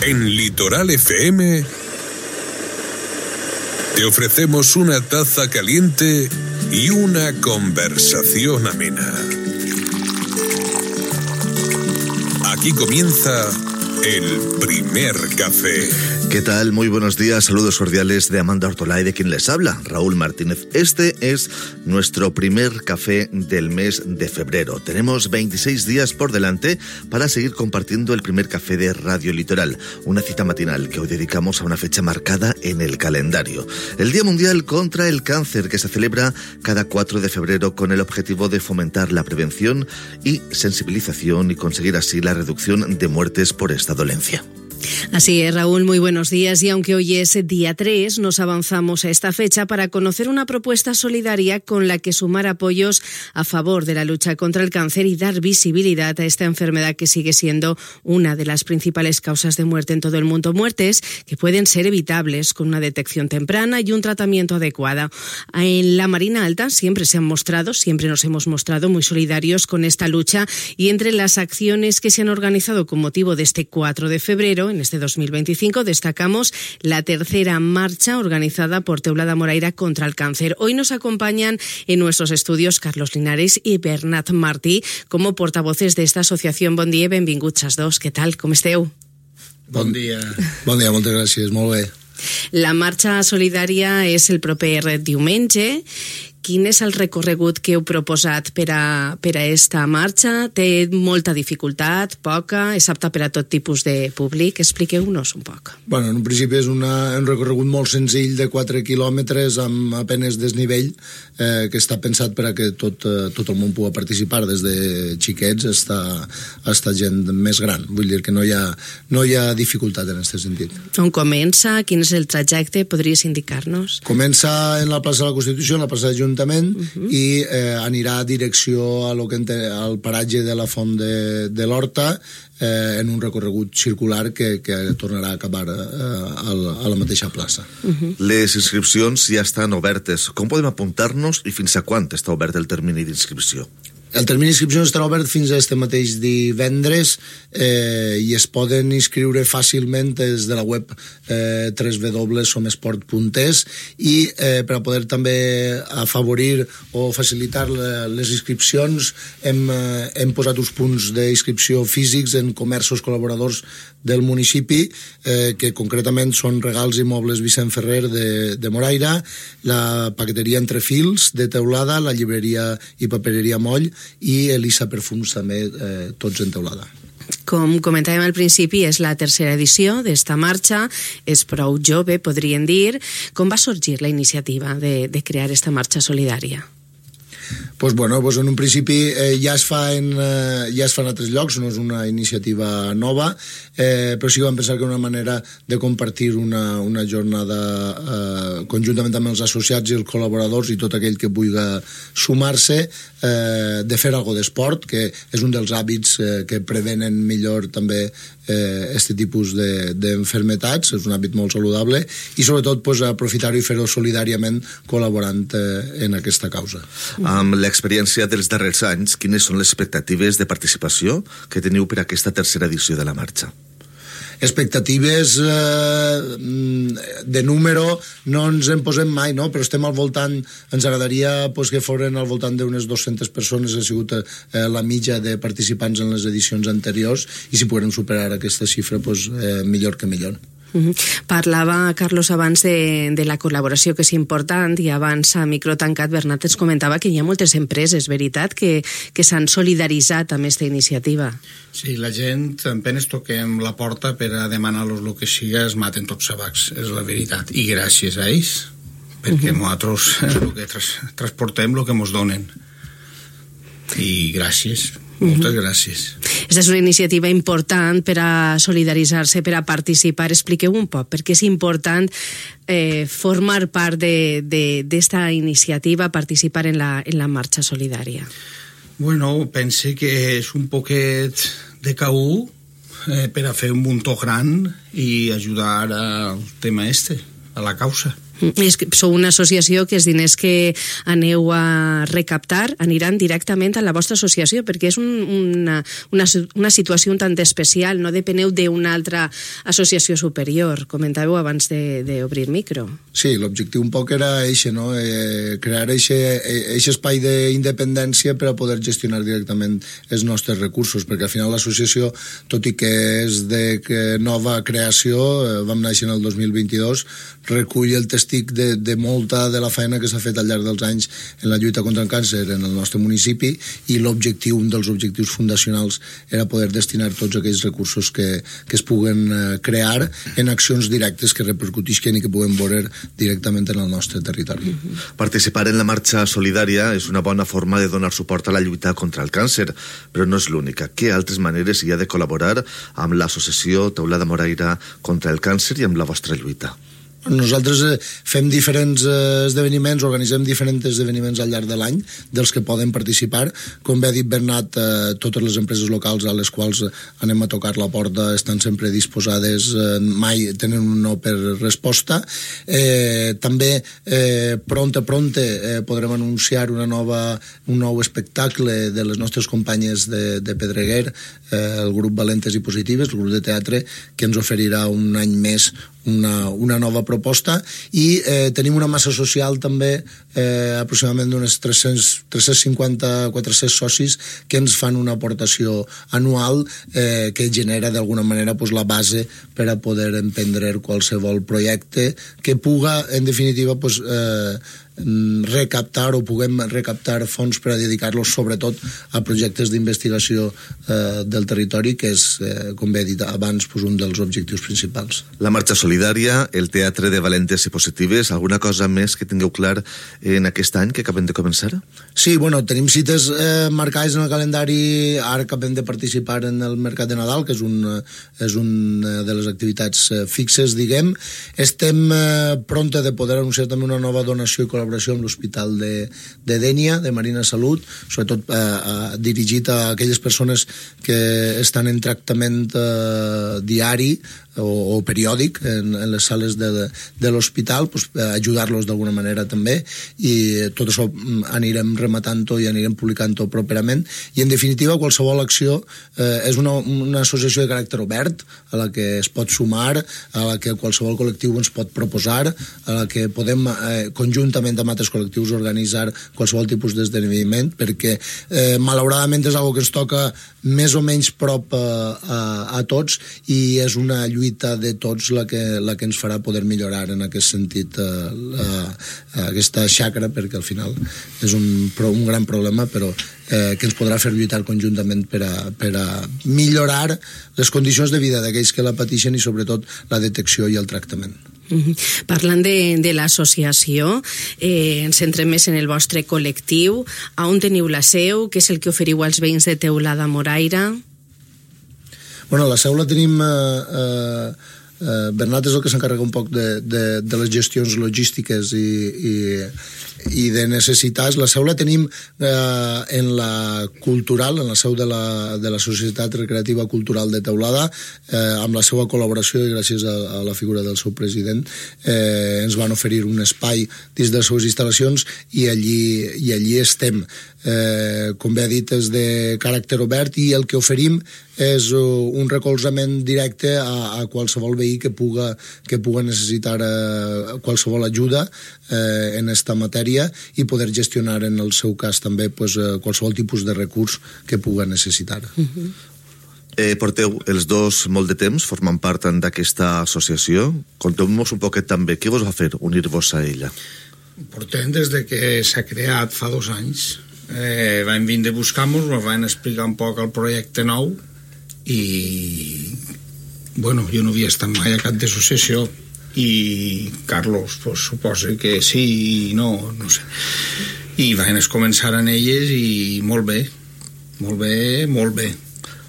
En Litoral FM te ofrecemos una taza caliente y una conversación amena. Aquí comienza el primer café. ¿Qué tal? Muy buenos días, saludos cordiales de Amanda Ortolá y de quien les habla, Raúl Martínez. Este es nuestro primer café del mes de febrero. Tenemos 26 días por delante para seguir compartiendo el primer café de Radio Litoral, una cita matinal que hoy dedicamos a una fecha marcada en el calendario. El Día Mundial contra el Cáncer, que se celebra cada 4 de febrero con el objetivo de fomentar la prevención y sensibilización y conseguir así la reducción de muertes por esta dolencia. Así es, Raúl, muy buenos días. Y aunque hoy es día 3, nos avanzamos a esta fecha para conocer una propuesta solidaria con la que sumar apoyos a favor de la lucha contra el cáncer y dar visibilidad a esta enfermedad que sigue siendo una de las principales causas de muerte en todo el mundo. Muertes que pueden ser evitables con una detección temprana y un tratamiento adecuado. En la Marina Alta siempre nos hemos mostrado muy solidarios con esta lucha, y entre las acciones que se han organizado con motivo de este 4 de febrero, en este 2025, destacamos la tercera marcha organizada por Teulada Moraira contra el cáncer. Hoy nos acompañan en nuestros estudios Carlos Linares y Bernat Martí como portavoces de esta asociación. Bon dia, benvinguts els dos. Què tal? Com esteu? Bon dia. Bon dia, moltes gràcies. Molt bé. La marxa solidària és el proper diumenge. Quin és el recorregut que heu proposat per a esta marxa? Té molta dificultat, poca? És apta per a tot tipus de públic? Expliqueu-nos un poc. Bueno, en un principi és un recorregut molt senzill de 4 quilòmetres amb apenas desnivell, que està pensat per a que tot el món pugui participar, des de xiquets fins a gent més gran. Vull dir que no hi ha dificultat en aquest sentit. On comença? Quin és el trajecte? Podries indicar-nos? Comença en la plaça de la Constitució, en la plaça de Junta, i anirà a direcció al paratge de la Font de l'Horta, en un recorregut circular que tornarà a acabar a la mateixa plaça. Les inscripcions ja estan obertes. Com podem apuntar-nos i fins a quan està obert el termini d'inscripció? El termini d'inscripció estarà obert fins a este mateix divendres, i es poden inscriure fàcilment des de la web www.somesport.es, i per a poder també afavorir o facilitar les inscripcions hem posat uns punts d'inscripció físics en comerços col·laboradors del municipi, que concretament són Regals i Mobles Vicent Ferrer de Moraira, la paqueteria Entre Fils de Teulada, la llibreria i papereria Moll i Elisa Perfums també, tots en Teulada. Com comentàvem al principi, és la tercera edició d'esta marxa, és prou jove, podríem dir. Com va sorgir la iniciativa de crear esta marxa solidària? Pues bueno, en un principi ja es fa en altres llocs, no és una iniciativa nova, però sí que vam pensar que una manera de compartir una jornada conjuntament amb els associats i els col·laboradors i tot aquell que vulgui sumar-se, de fer alguna d'esport, que és un dels hàbits que prevenen millor també aquest tipus d'enfermetats, és un hàbit molt saludable, i sobretot aprofitar-ho i fer-ho solidàriament col·laborant en aquesta causa. Amb l'experiència dels darrers anys, quines són les expectatives de participació que teniu per a aquesta tercera edició de la marxa? Expectatives de número no ens en posem mai, no? Però estem al voltant, ens agradaria que foren al voltant d'unes 200 persones, ha sigut la mitja de participants en les edicions anteriors, i si podem superar aquesta xifra, millor que millor. Parlava, Carlos, abans de la col·laboració, que és important, i abans a micro tancat Bernat ens comentava que hi ha moltes empreses, veritat, que s'han solidaritzat amb aquesta iniciativa. Sí, la gent, apenas toquem la porta per a demanar-los el que siga, es maten tots sabacs, és la veritat, i gràcies a ells, perquè nosaltres el que transportem el que ens donen, i gràcies. Moltes gràcies. Aquesta és una iniciativa important per a solidaritzar-se, per a participar. Expliqueu un poc per què és important formar part d'esta iniciativa, participar en la marxa solidària. Bueno, pense que és un poquet de caú per a fer un muntó gran i ajudar al tema a la causa. Sou una associació que els diners que aneu a recaptar aniran directament a la vostra associació, perquè és una situació un tant especial, no depeneu d'una altra associació superior. Comentàveu abans d'obrir micro. Sí, l'objectiu un poc era eixe, no? Crear eixe espai d'independència per a poder gestionar directament els nostres recursos, perquè al final l'associació, tot i que és de nova creació, vam néixer en el 2022, recull el testimoni de molta de la feina que s'ha fet al llarg dels anys en la lluita contra el càncer en el nostre municipi, i l'objectiu, un dels objectius fundacionals, era poder destinar tots aquells recursos que es puguen crear en accions directes que repercutisquen i que puguem veure directament en el nostre territori. Participar en la marxa solidària és una bona forma de donar suport a la lluita contra el càncer, però no és l'única. Què altres maneres hi ha de col·laborar amb l'associació Teulada Moraira contra el càncer i amb la vostra lluita? Nosaltres fem diferents esdeveniments, organitzem diferents esdeveniments al llarg de l'any, dels que poden participar. Com bé ha dit Bernat, totes les empreses locals a les quals anem a tocar la porta estan sempre disposades, mai tenen un no per resposta. També pronte podrem anunciar un nou espectacle de les nostres companyes de Pedreguer, el grup Valentes i Positives, el grup de teatre, que ens oferirà un any més una nova proposta, i tenim una massa social també, aproximadament d'unes 350-400 socis que ens fan una aportació anual que genera d'alguna manera la base per a poder emprendre qualsevol projecte que puga, en definitiva, recaptar o puguem recaptar fons per a dedicar-los sobretot a projectes d'investigació del territori, que és, com bé he dit abans, un dels objectius principals. La marxa solidària, el teatre de Valentes i Positives, alguna cosa més que tingueu clar en aquest any que acabem de començar? Sí, tenim cites marcades en el calendari. Ara acabem de participar en el Mercat de Nadal, que és una de les activitats fixes, diguem. Estem pronta de poder anunciar també una nova donació i col·laboració amb l'Hospital de Dénia, de Marina Salut, sobretot dirigit a aquelles persones que estan en tractament diari o periòdic en les sales de l'hospital, ajudar-los d'alguna manera també, i tot això anirem rematant-ho i anirem publicant-ho properament. I en definitiva qualsevol acció és una associació de caràcter obert a la que es pot sumar, a la que qualsevol col·lectiu ens pot proposar, a la que podem conjuntament amb altres col·lectius organitzar qualsevol tipus d'esdeveniment, perquè malauradament és una que ens toca més o menys prop a tots, i és una lluita de tots la que ens farà poder millorar en aquest sentit aquesta xacra, perquè al final és un gran problema, però que ens podrà fer lluitar conjuntament per a millorar les condicions de vida d'aquells que la pateixen i sobretot la detecció i el tractament. Parlant de l'associació, ens centrem més en el vostre col·lectiu. On teniu la seu? Què és el que oferiu als veïns de Teulada Moraira? La seu la tenim... Bernat és el que s'encarrega un poc de les gestions logístiques i de necessitats. La seu la tenim en la cultural, en la seu de la Societat Recreativa Cultural de Teulada, amb la seva col·laboració i gràcies a la figura del seu president ens van oferir un espai dins de les seves instal·lacions, i allí estem. Com bé ha dit, és de caràcter obert, i el que oferim és un recolzament directe a qualsevol veí que puga necessitar qualsevol ajuda en esta matèria, i poder gestionar en el seu cas també qualsevol tipus de recurs que puga necessitar. Porteu els dos molt de temps formant part d'aquesta associació. Conteu-nos un poquet també què vos va fer unir-vos a ella. Portem des de que s'ha creat fa 2 anys. Vam vindre a buscar-nos, ens van explicar un poc el projecte nou, i jo no havia estat mai a cap d'associació, i Carlos suposa que sí i no sé, i van començar en elles, i molt bé.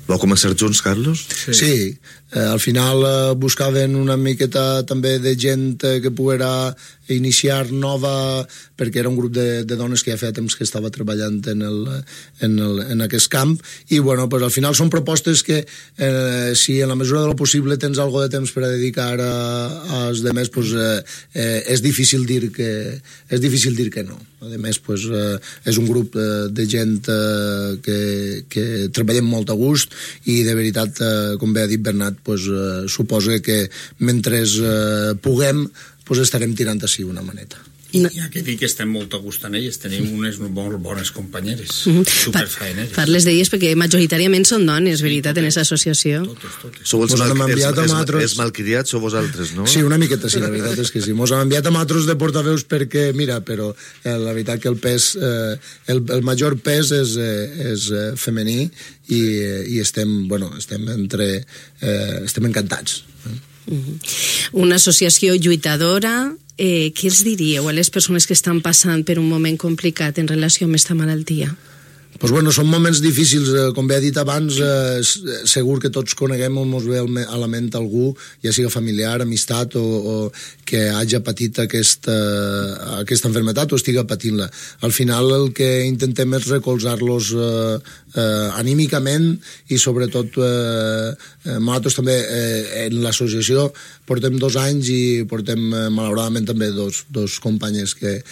Vau començar junts, Carlos? Sí. Al final buscaven una miqueta també de gent que poguera iniciar nova, perquè era un grup de dones que ja feia temps que estava treballant en aquest camp, i bueno, pues al final són propostes que si en la mesura de lo possible tens algo de temps per a dedicar als demés, pues és difícil dir que no. A més, pues, és un grup de gent que treballem molt a gust, i de veritat, com bé ha dit Bernat, pues, suposa que mentre puguem, pues, estarem tirant així una maneta. I ja que dic que estem molt a gust en elles, tenim unes molt bones companyeres, superfaeneres. Parles d'elles perquè majoritàriament són dones, veritat, en aquesta associació. Totes. Sou els malcriats, sou vosaltres, no? Sí, una miqueta sí, la veritat és que sí. Mos han enviat a nosaltres de portaveus perquè, mira, però la veritat que el pes, el major pes és femení, i estem encantats. Una associació lluitadora. Què els diríeu a les persones que estan passant per un moment complicat en relació amb aquesta malaltia? Pues bueno, són moments difícils, com bé ha dit abans, segur que tots coneguem o ens ve a la ment algú, ja sigui familiar, amistat, o que hagi patit aquesta enfermetat o estiga patint-la. Al final el que intentem és recolzar-los anímicament, i sobretot nosaltres també en l'associació portem 2 anys i portem malauradament també dos companyes que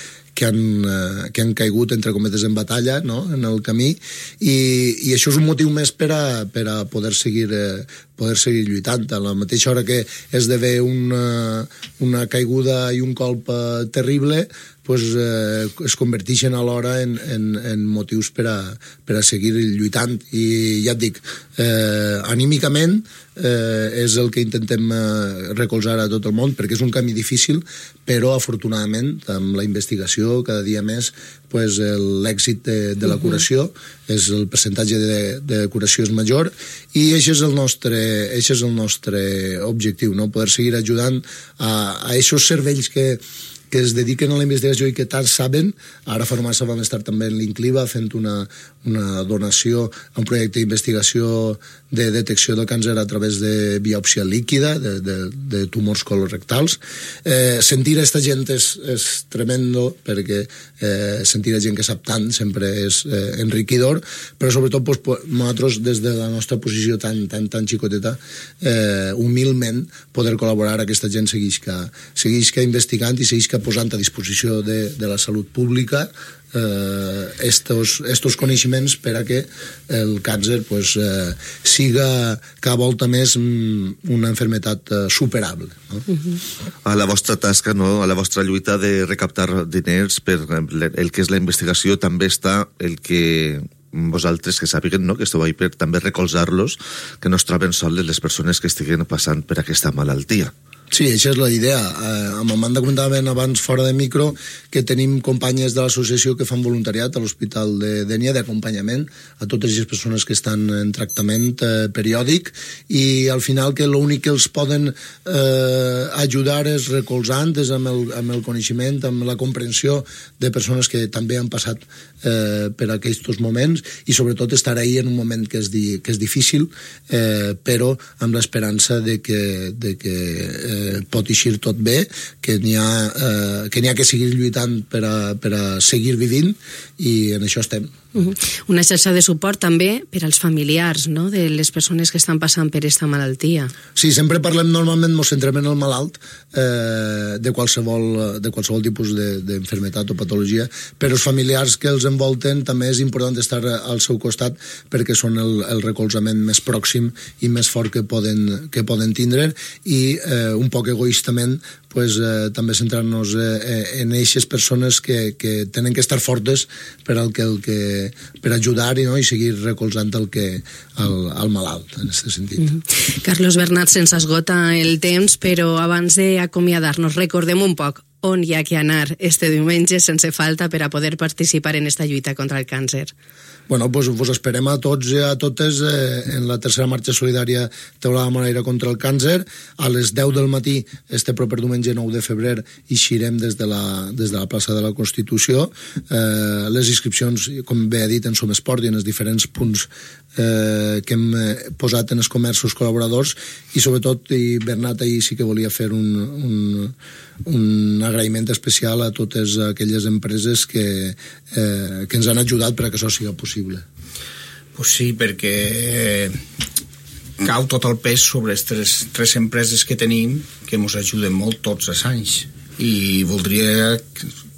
han caigut, entre cometes, en batalla, no?, en el camí, i això és un motiu més per a poder seguir lluitant. A la mateixa hora que esdevé una caiguda i un colp terrible, pues, es converteixen alhora en motius per a seguir lluitant. I ja et dic, anímicament és el que intentem recolzar a tot el món, perquè és un camí difícil, però afortunadament amb la investigació cada dia més, pues, l'èxit de la curació, el percentatge de curació és major, i això és el nostre objectiu, no? Poder seguir ajudant a aquests cervells que es dediquen a la investigació i que tant saben. Ara fa no massa vam estar també en l'Incliva fent una donació a un projecte d'investigació de detecció del càncer a través de biòpsia líquida de tumors colorectals. Sentir aquesta gent és tremendo, perquè sentir la gent que sap tant sempre és enriquidor, però sobretot nosaltres, des de la nostra posició tan xicoteta, humilment poder col·laborar, aquesta gent seguisca investigant i seguisca posant a disposició de la salut pública estos coneixements per a que el càncer, pues, siga cada volta més una enfermetat superable, no? A la vostra tasca, no? A la vostra lluita de recaptar diners per el que és la investigació, també està el que vosaltres, que sàpiguen, no?, que esteu ahí per també recolzar-los, que no es troben sols les persones que estiguen passant per aquesta malaltia. Sí, això és la idea. Amb Amanda comentaven abans fora de micro que tenim companyes de l'associació que fan voluntariat a l'Hospital de Dénia d'acompanyament a totes les persones que estan en tractament periòdic, i al final que l'únic que els poden ajudar és recolzant, és amb el coneixement, amb la comprensió de persones que també han passat per aquests moments, i sobretot estar ahí en un moment que és difícil, però amb l'esperança de que pot eixir tot bé, que n'hi ha que seguir lluitant per a seguir vivint, i en això estem. Una xarxa de suport també per als familiars, no?, de les persones que estan passant per aquesta malaltia. Sí, sempre parlem, normalment ens centrem en el malalt de qualsevol tipus d'enfermetat o patologia, però els familiars que els envolten també és important estar al seu costat, perquè són el recolzament més pròxim i més fort que poden tindre, i un poc egoistament pues, també centrar-nos en aquestes persones que tenen que estar fortes per ajudar i seguir recolzant el malalt, en aquest sentit. Carlos Bernat, se'ns esgota el temps, però abans d'acomiadar-nos, recordem un poc on hi ha que anar este diumenge sense falta per a poder participar en esta lluita contra el càncer. Bueno, pues vos esperem a tots i a totes en la tercera marxa solidària Teulada Moraire contra el càncer. A les 10 del matí, este proper diumenge 9 de febrer, eixirem des de la plaça de la Constitució. Les inscripcions, com bé ha dit, en Som Esport i en els diferents punts que hem posat en els comerços col·laboradors, i sobretot, i Bernat ahir sí que volia fer un agraïment especial a totes aquelles empreses que ens han ajudat perquè això sigui possible. Pues sí, perquè cau tot el pes sobre les tres empreses que tenim que ens ajuden molt tots els anys, i voldria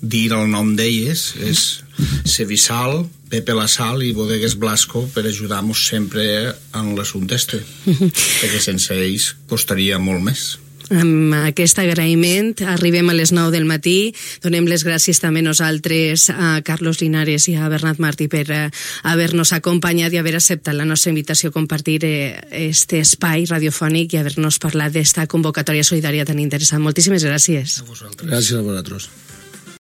dir el nom d'elles. És Sevisal, Pepe La Sal i Bodegues Blasco, per ajudar-nos sempre en l'assumpte perquè sense ells costaria molt més. Amb aquest agraïment arribem a les 9 del matí. Donem les gràcies també nosaltres a Carlos Linares i a Bernat Martí per haver-nos acompanyat i haver acceptat la nostra invitació a compartir este espai radiofònic i haver-nos parlat d'esta convocatòria solidària tan interessant. Moltíssimes gràcies. A vosaltres. Gràcies a vosaltres.